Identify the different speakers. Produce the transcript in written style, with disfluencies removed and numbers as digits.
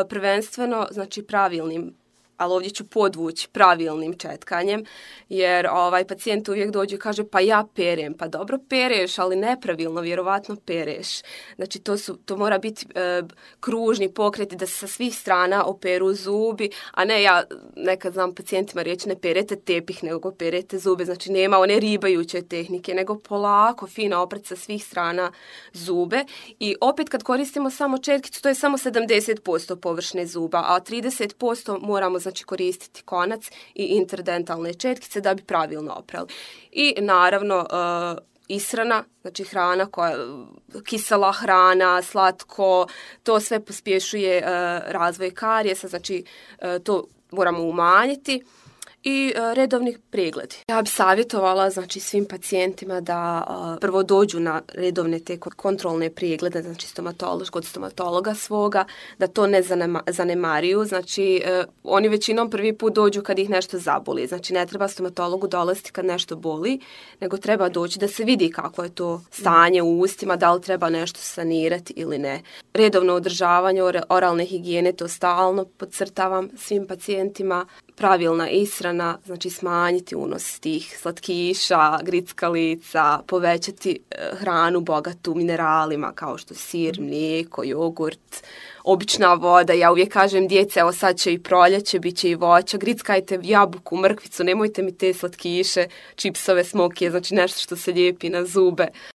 Speaker 1: prvenstveno, znači pravilnim, ali ovdje ću podvući pravilnim četkanjem, jer pacijent uvijek dođe i kaže pa ja perem, pa dobro pereš, ali nepravilno, vjerovatno pereš. Znači to mora biti kružni pokreti da se sa svih strana operu zubi, a ne ja nekad znam pacijentima reći ne perete tepih, nego perete zube, znači nema one ribajuće tehnike, nego polako, fino opret sa svih strana zube i opet kad koristimo samo četkicu, to je samo 70% površine zuba, a 30% moramo znači koristiti konac i interdentalne četkice da bi pravilno oprali. I naravno ishrana, znači hrana kisela hrana, slatko, to sve pospješuje razvoj karijesa, znači to moramo umanjiti. I redovni pregledi. Ja bih savjetovala znači svim pacijentima da prvo dođu na redovne te kontrolne preglede, znači kod stomatologa svoga, da to ne zanemaruju, znači oni većinom prvi put dođu kad ih nešto zaboli, znači ne treba stomatologu dolaziti kad nešto boli, nego treba doći da se vidi kako je to stanje u ustima, da li treba nešto sanirati ili ne. Redovno održavanje oralne higijene, to stalno podcrtavam svim pacijentima, pravilna ishrana, znači smanjiti unos tih slatkiša, grickalica, povećati hranu bogatu mineralima kao što sir, mlijeko, jogurt, obična voda. Ja uvijek kažem djece, evo sad će i proljeće, bit će i voća, grickajte jabuku, mrkvicu, nemojte mi te slatkiše, čipsove, smokije, znači nešto što se lijepi na zube.